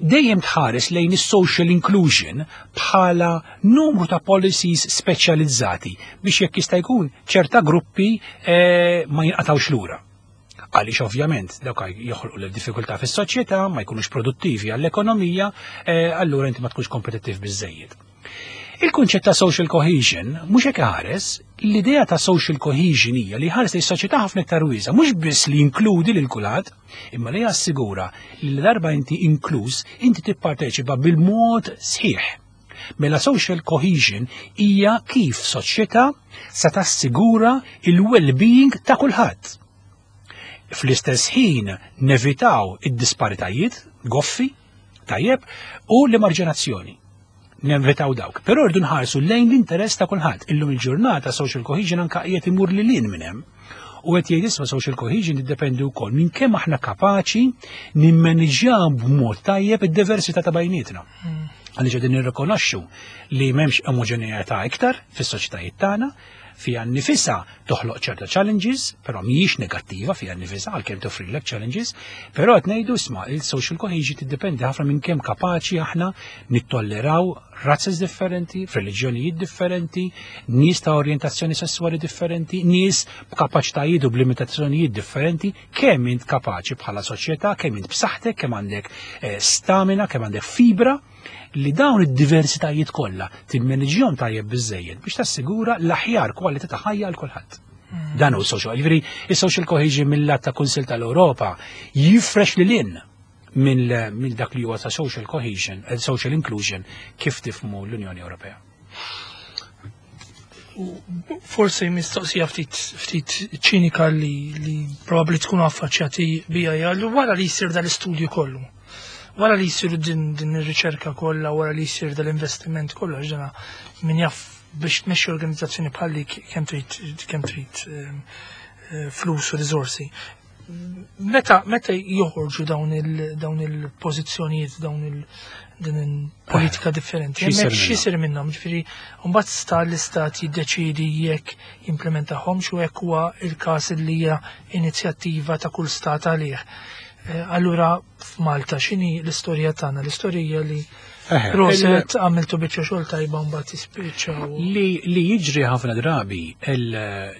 dejjem tħares lejn is-social inclusion bħala numru ta' policies speċjalizzati biex jekk jista' jkun ċerta gruppi eh, ma jinqatawx lura. Għaliex ovvjament dawk joħolqu l-diffikultà fis-soċjetà, ma jkunux produttivi għall-ekonomija, eh, allura inti ma tkunx kompetittiv biżejjed. Il-kunċett ta' social cohesion mhux hekk ħares, l-idea ta' social cohesion hija li ħares li s-soċjetà ħafna iktar wiesgħa, mhux biss li jinkludi lil kulħadd, imma li jassigura li darba inti inkluż, inti tipparteċipa bil-mod sħiħ. Mela social cohesion hija kif soċjetà sa tassigura il-well-being ta' kulħadd. Fl-istess ħin nevitaw id-disparitajiet goffi, tajjeb, u l-emarġinazzjoni. Nevitaw dawk. Però rridu nħarsu lejn l-interess ta' kulħadd. Illum il-ġurnata social cohesion anka qiegħed imur lil hinn minn hemm. U qed jgħid, isma', social cohesion tiddependi wkoll minn kemm aħna kapaċi nimmaniġjaw b'mod tajjeb id-diversità ta' bejnietna. Għaliex qegħdin nirrikonoxxu li m'hemmx omoġeneità iktar fis-soċjetajiet tagħna, fiha nnifisha toħloq ċerta challenges, però mhijiex negattiva fiha nnifisha għalkemm toffrilek challenges, però qed ngħidu, isma', il-social cohesion tiddependi ħafna minn kemm kapaċi aħna nittolleraw razzes differenti, reliġjonijiet differenti, nies ta' orjentazzjoni sessuali differenti, nies b'kapaċitajiet u b'limitazzjonijiet differenti, kemm int kapaċi bħala soċjetà, kemm int b'saħħtek, kemm għandek eh, stamina, kemm għandek fibra li dawn id-diversitajiet kollha timmaniġjhom tajjeb biżejjed biex tassigura l-aħjar kwalità ta' ħajja għal kulħadd. Dan hu social, jiġifieri is-social cohesion mill-lat ta' Kunsill tal-Ewropa jifrex lil hinn minn minn dak li huwa ta' social cohesion, eh, social inclusion kif tifhmu l-Unjoni Ewropea. Forsi mistoqsija ftit ftit ċinika li, li probabbli tkunu affaċċjati bija hija li wara li jsir dal-istudju kollu, wara li jsir din, din ir-riċerka kollha, wara li jsir dal-investiment kollu, għax dana min jaf biex tmexxi organizzazzjoni bħalli kemm trid kemm trid ehm, eh, flus u riżorsi. Meta meta joħorġu dawn il dawn il-pożizzjonijiet, dawn il din il-politika differenti, X'isir hemmhekk x'isir minnhom, ġifieri mbagħad sta l-istat jiddeċidi jekk jimplementahomx u hekk huwa il-każ li hija inizjattiva ta' kull stat għalih. Eh, Allura f'Malta x'inhi l-istorja tagħna? L-istorja li Eħe, prosit, għamiltu biċċa xogħol tajba, mbagħad tispiċċaw. Li, li jiġri ħafna drabi il,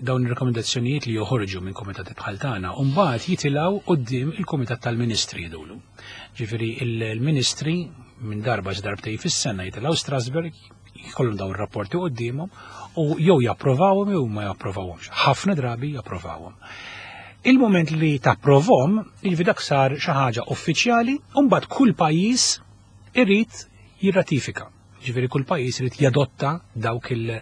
dawn ir-rekomendazzjonijiet li joħorġu minn komitati bħal tagħna u mbagħad jitilgħu quddiem il-Kumitat tal-Ministri jdulu. Ġifieri il-Ministri minn darba darbtej fis-sena jitilgħu Strasburg, jkollhom dawn ir-rapporti quddiemhom u jew japprovawhom jew ma japprovawhomx. Ħafna drabi japprovawhom. Il-moment li tapprovhom, jiġifieri dak sar xi ħaġa uffiċjali, u mbagħad kull pajjiż irid jirratifika. Ġifieri kull pajjiż irid jadotta dawk il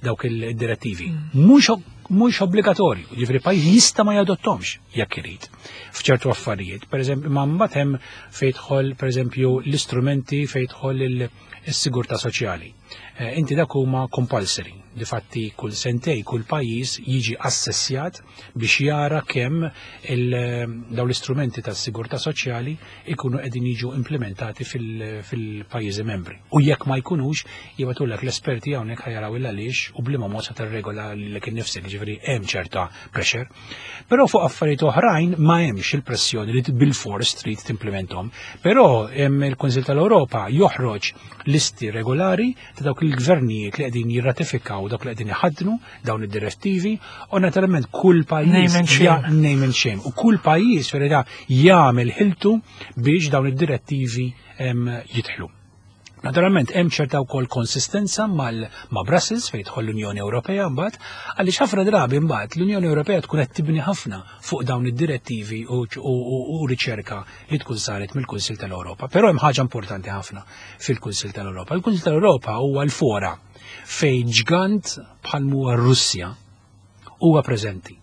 dawk il-direttivi. Mhux mhux obbligatorju, ġifieri pajjiż jista' ma jadottomx jekk irid. F'ċertu affarijiet, pereżempju, ma mbagħad hemm fejn jidħol pereżempju l-istrumenti fejn jidħol il-sigurtà soċjali. Eh, Inti dak huma compulsory. Difatti kull sentej kull pajjiż jiġi assessjat biex jara kemm il- dawn l-istrumenti tas-sigurtà soċjali ikunu qegħdin jiġu implementati fil- fil-pajjiżi membri. U jekk ma jkunux, jibagħtulek l-esperti hawnhekk ħa jaraw il għaliex u b'liema mod se tirregola lilek innifsek, ġifieri hemm ċerta pressure. Però fuq affarijiet oħrajn ma hemmx il-pressjoni li bil-fors trid timplementhom. Però hemm il-Kunsill tal-Ewropa joħroġ listi regolari ta' dawk il-gvernijiet li qegħdin jirratifikaw, dawk li qegħdin iħaddnu dawn id-direttivi u naturalment kull pajjiż Name and shame. ja- name and shame. U kull pajjiż verità jagħmel ħiltu biex dawn id-direttivi em, jidħlu. Naturalment hemm ċerta wkoll konsistenza mal ma' Brussels fejn tidħol l-Unjoni Ewropea mbagħad, għaliex ħafna drabi mbagħad l-Unjoni Ewropea tkun qed tibni ħafna fuq dawn id-direttivi u, u, u, u riċerka li tkun saret mill-Kunsill tal-Ewropa. Però hemm ħaġa importanti ħafna fil-Kunsill tal-Ewropa. Il-Kunsill tal-Ewropa huwa l-fora Fejn ġgant bħal huwa Russja huwa preżenti.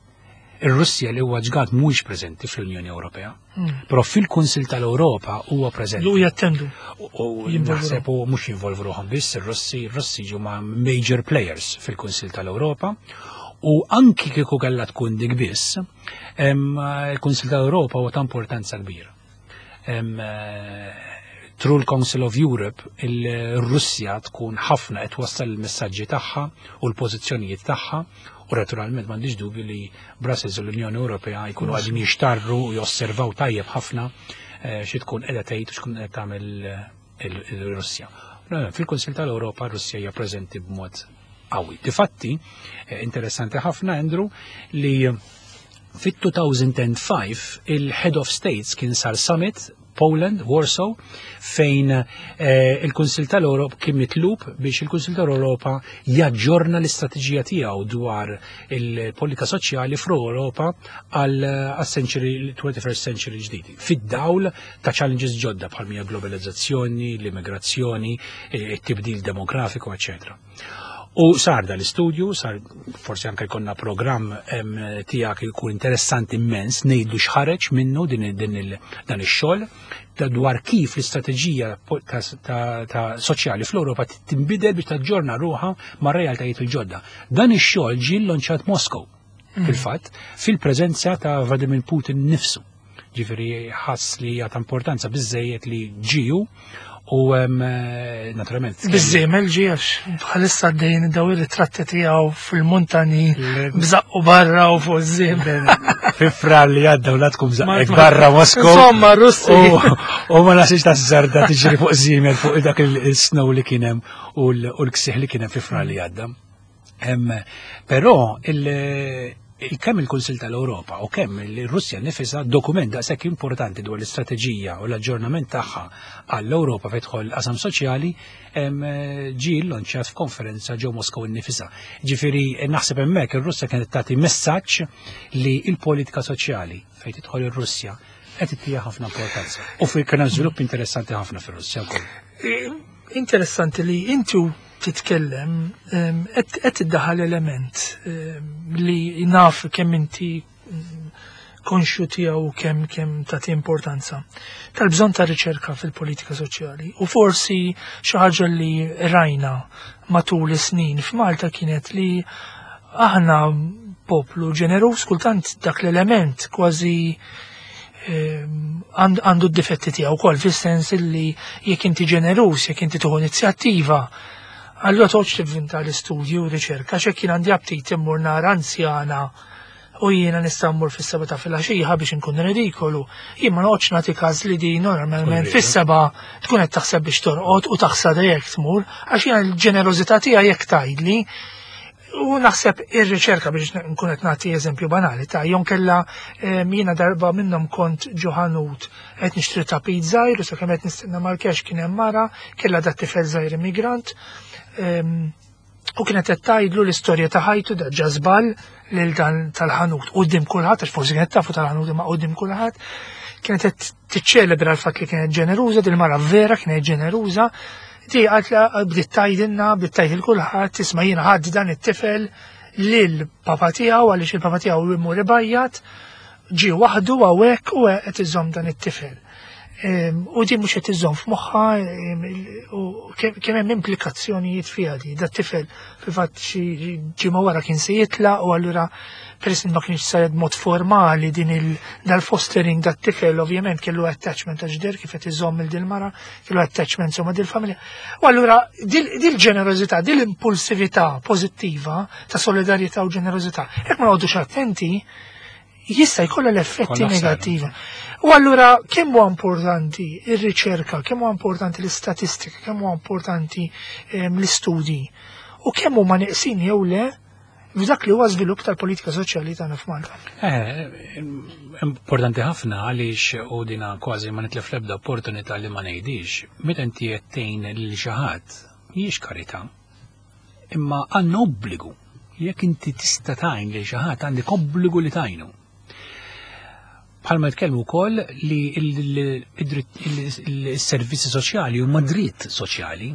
Ir-Russja li huwa ġgant mhuwiex preżenti fl-Unjoni Ewropea, Mm. però fil-Kunsil tal-Ewropa huwa preżenti. Lu jattendu. U Jinvolvu naħseb u mhux jinvolvu ruħhom biss, ir-Russi, ir-Russi huma major players fil-Kunsil tal-Ewropa. U anki kieku kellha tkun dik biss, em, il-Kunsil tal-Ewropa huwa ta' importanza kbira. Em, eh, Through l-Council of Europe, il-Russja tkun ħafna qed twassal il-messaġġi tagħha u l-pożizzjonijiet tagħha u naturalment m'għandix dubju li Brussels u l-Unjoni Ewropea jkunu qegħdin jixtarru u josservaw tajjeb ħafna eh, xi tkun qiegħda tgħid u x'tkun qiegħda tagħmel eh, il- il-Russja. Fil-Kunsil tal-Ewropa Russja hija preżenti b'mod qawwi. Difatti, eh, interessanti ħafna, Andrew, li fit-elfejn u ħamsa il-Head of States kien sar summit Poland, Warsaw, fejn eh, il-Kunsil tal-Europa kien mitlub biex il-Kunsil tal-Europa jaġġorna l-istrateġija tiegħu dwar il-politika soċjali fl-Europa għal century twenty-first century ġdidi. Fid-dawl ta' challenges ġodda bħal mija globalizzazzjoni, l-immigrazzjoni, eh, it-tibdil demografiku, eccetera. U sar dal-istudju, sar forsi anke jkollna programm em, tiegħek jkun interessanti immens, ngħidu x'ħareġ minnu din, din il, dan ix-xogħol ta' dwar kif l-istrateġija po- ta', ta, ta soċjali fl-Ewropa tinbidel biex taġġorna ruħha ma' realtajiet il-ġodda. Dan ix-xogħol ġie lonċat Moskow, fil-fatt, fil-preżenza ta' Vladimir Putin nifsu. Ġifieri ħass li hija ta' importanza biżejjed li ġiju u em, eh, naturalment Biż-żiemel ġie għax bħalissa għaddejn daw ir-ritratti tiegħu fil-muntani bżaqqu barra u fuq iż-żiemel. Fi Frar li għadda u latkum Ma- żaqqek barra Moskow. Insomma, Russi. U u ma nasix ta' zarda tiġri fuq żiemel fuq dak il-snow li kien hemm u l- u l-ksieħ li kien hemm fi Frar li għadda. Em, Però il- il- kemm il-Kunsil tal-Ewropa u kemm il-Russja nifisa dokument daqshekk importanti dwar l-istrateġija u l-aġġornament tagħha għall-Ewropa fejn tidħol qasam soċjali em, ġie lonċjat f'konferenza ġew Moskow innifisha. Ġifieri naħseb hemmhekk ir-Russja kienet tagħti messaġġ li l-politika soċjali fejn tidħol ir-Russja qed ittija ħafna importanza. U fi kien hemm żvilupp interessanti ħafna fir-Russja wkoll. Eh, Interessanti li inti u titkellem em, qed qed iddaħħal element em, li naf kemm inti mm, konxju tiegħu kemm kemm tagħti importanza tal-bżonn ta' riċerka fil-politika soċjali. U forsi xi ħaġa li rajna matul is-snin f'Malta kienet li aħna poplu ġenerus, kultant dak l-element kważi ehm, għand- għandu d-difetti tiegħu wkoll, fis-sens illi jekk inti ġenerus, jekk inti tieħu inizjattiva, allura toqgħodx tivvinta l-istudju u riċerka, x'hekk jien għandi aptit immur nara anzjana u jiena nista' mmur fis-seba ta' filgħaxija biex inkun ridikolu. Jien ma noqgħodx nagħti każ li din normalment Tkun fis-seba tkun qed taħseb biex torqod u taħsad jekk tmur, għax jiena l-ġenerożità tiegħi jekk tgħidli. U naħseb ir-riċerka, biex nkun qed nagħti eżempju banali ta' jon kella em, jiena darba minnhom kont ġo ħanut qed nixtri ta' pizza żgħir u sakemm qed nistenna mal-cash kien hemm mara kellha dat tifel żgħir immigrant em, u kienet qed tgħidlu l-istorja ta' ħajtu da ġa żball lil dan tal-ħanut quddiem kulħadd, għax forsi kienet tafu tal-ħanut imma quddiem kulħadd kienet qed tiċċelebra l-fatt li kienet ġeneruża, din mara vera kienet ġeneruża. Di għalt bdiet tgħidilna, bdiet tgħid lil kulħadd, "Isma', jiena ħadd dan it-tifel lil papa tiegħu għaliex il-papa tiegħu imur ibajjat, ġie waħdu hawnhekk u qed iżomm dan it-tifel." Em, U di mhux qed iżomm f'moħħa em, il- u kemm kemm hemm implikazzjonijiet fiha di. Dat tifel fil-fatt xi ġimgħa wara kien se jitlaq u allura peress li ma kienx saret mod formali din il dal-fostering dat tifel ovvjament kellu attachment ta' ġder kif qed iżomm il dil mara, kellu attachment insomma dil-familja. U allura dil-ġenerożità, dil-impulsività pożittiva ta' solidarjetà u ġenerożità, jekk ma noqogħdux attenti, jista' jkollha l-effetti Kollha ħsara. negattivi. U allura kemm huwa importanti ir-riċerka, kemm huwa importanti l-istatistika, kemm huwa importanti ehm, l-istudji u kemm huma neqsin jew le f'dak li huwa żvilupp tal-politika soċjali tagħna f'Malta. Eh, importanti ħafna għaliex u dina kważi ma nitlef l-ebda opportunità li ma ngħidix. Meta inti qed tgħin lil xi ħadd, mhijiex karità. Imma għandna obbligu. Jekk inti tista' tgħin lil xi ħadd, għandek obbligu li tgħinu. Bħalma jitkellmu wkoll li il-servizzi soċjali huma dritt soċjali.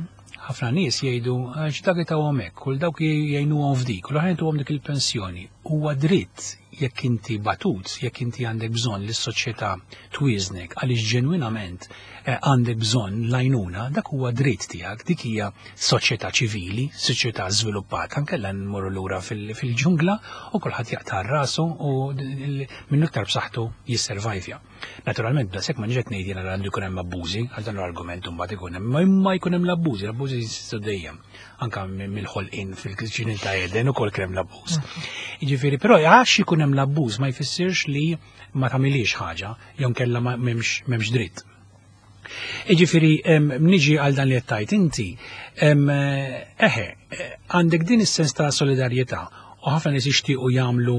Ħafna nies jgħidu għax dak tawhom hekk, kull dawk jgħinuhom f'dik, u l-oħrajn tuhom dik il-pensjoni. Huwa dritt jekk inti batut, jekk inti għandek bżonn li s-soċjetà twiżnek għaliex ġenwinament eh, għandek bżonn l-għajnuna, dak huwa dritt tiegħek, dik hija soċjetà ċivili, soċjetà żviluppata, nkella nmorru lura fil-ġungla u kulħadd jaqta' rasu u minn iktar b'saħħtu jisservajvja. Naturalment, daqshekk ma niġek ngħid jiena għandu jkun hemm abbużi, għal dan l-argument mbagħad ikun hemm, ma jkun hemm l-abbużi, l-abbużi jsistu dejjem anka mill-ħolqien fil-ġnien ta' Eden ukoll kien hemm l-abbuż. Jiġifieri, però għax ikun hemm l-abbuż ma jfissirx li ma tagħmilix ħaġa jew kellha m'hemmx dritt. Jiġifieri niġi għal dan li qed tgħid inti, eħe, għandek din is-sens ta' solidarjetà u ħafna nies jixtiequ jagħmlu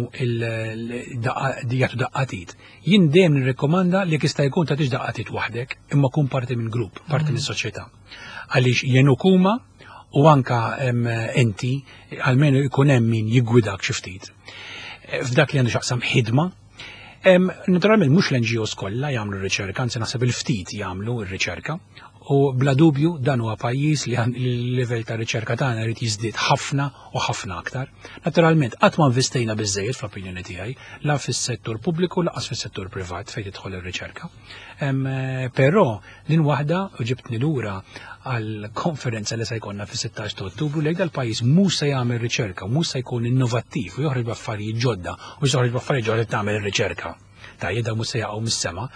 jagħtu daqqa t'id. Jien dejjem nirrekkomanda li jista' jkun tagħtix daqqa t'id waħdek, imma kun parti minn grupp, parti minn soċjetà. Għaliex jgħinuk huma u anka inti għalmenu jkun hemm min jiggwidak xi ftit. F'dak li għandu x'jaqsam ħidma, naturalment mhux l-N G Os kollha jagħmlu r-riċerka, anzi naħseb il-ftit jagħmlu r-riċerka. U bla dubju dan huwa pajjiż li l-livell ta' riċerka tagħna jrid jiżdied ħafna u ħafna aktar. Naturalment qatt ma investejna biżejjed fl-opinjoni tiegħi la fis-settur pubbliku lanqas fis-settur privat fejn tidħol ir-riċerka. Però din waħda u ġibtni lura għal konferenza li se jkollna fis-sittax ta' Ottubru li dal-pajjiż mhux se jagħmel riċerka, mhux se jkun innovattiv u joħroġ b'affarijiet ġodda u joħroġ b'affarijiet ġodda tagħmel ir-riċerka. Tajjeb, dawn mhux se jaqgħu mis-sema.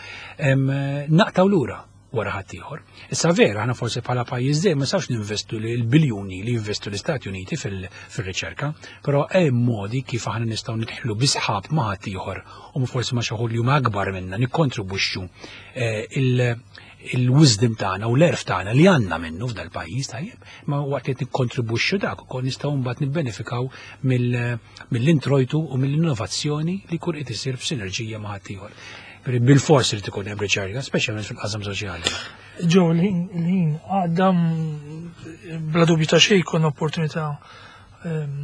Naqtaw lura wara ħaddieħor. Issa vera, aħna forsi bħala pajjiż dejjem ma nistgħux ninvestu l-biljuni li jinvestu l-Istati Uniti fil-riċerka, però hemm modi kif aħna nistgħu nidħlu bi sħab ma' ħaddieħor u forsi ma' xi li huma akbar minna nikkontribwixxu il-wisdom tagħna u l-għerf tagħna li għandna minnu f'dal pajjiż tajjeb, ma waqt li nikkontribwixxu dak ukoll nistgħu mbagħad nibbenefikaw mill-introjtu u mill-innovazzjoni li jkun qed isir b'sinerġija ma' ħaddieħor. Bil-fors li tkun hemm riċerka, speċjalment fil-qasam soċjali. Ġo, l-ħin għadda, bla dubju ta' xejn jkun opportunità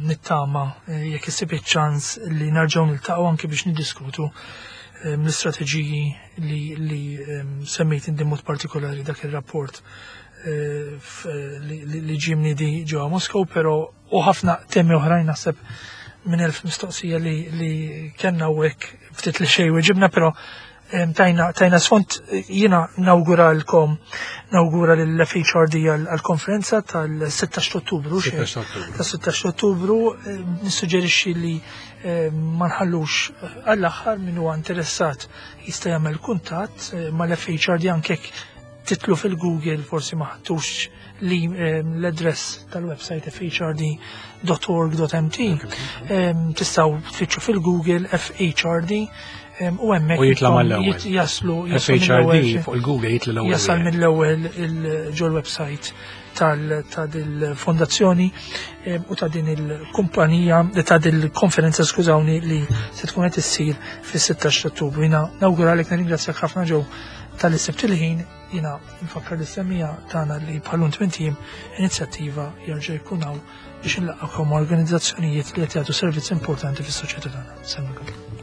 nittama jekk issib iċ-ċans li nerġgħu niltaqgħu anke biex niddiskutu l-istrateġiji li, li semmejt inti, mod partikolari dak ir-rapport li ġie mniedi ġewwa Moskow, però u ħafna temi oħrajn, naħseb minn elf mistoqsija li, li kellna u hekk ftit li xejn weġibna, però tajna tajna sfond. Jiena nawguralkom, nawgura lill-F H R D għall-konferenza tal-sittax Ottubru. Tas-sittax Ottubru nissuġġerixxi li ma nħallux għall-aħħar, min huwa interessat jista' jagħmel kuntatt mal-F H R D, anke titlu fil-Google, forsi ma ħadtux li l-address tal-website F H R D dot org dot M T, tistgħu tfittxu fil-Google F H R D u hemmhekk U jitla' mal-ewwel. Jaslu. F H R D fuq il-Google jitla' l-ewwel. Jasal mill-ewwel ġol website ta' dil-fondazzjoni u ta' din il-kumpanija, ta' dil-konferenza, skużawni, li se tkun qed issir fis-sittax Ottubru. Jiena nawguralek, nirringrazzjak ħafna Joe talli sibt il-ħin. Jiena nfakkar lis-semmiegħa tagħna li bħal-lum tmint ijiem inizjattiva jerġa' jkun hawn biex nlaqqakom organizzazzjonijiet li qed jagħtu servizz importanti fis-soċjetà tagħna. Semmi.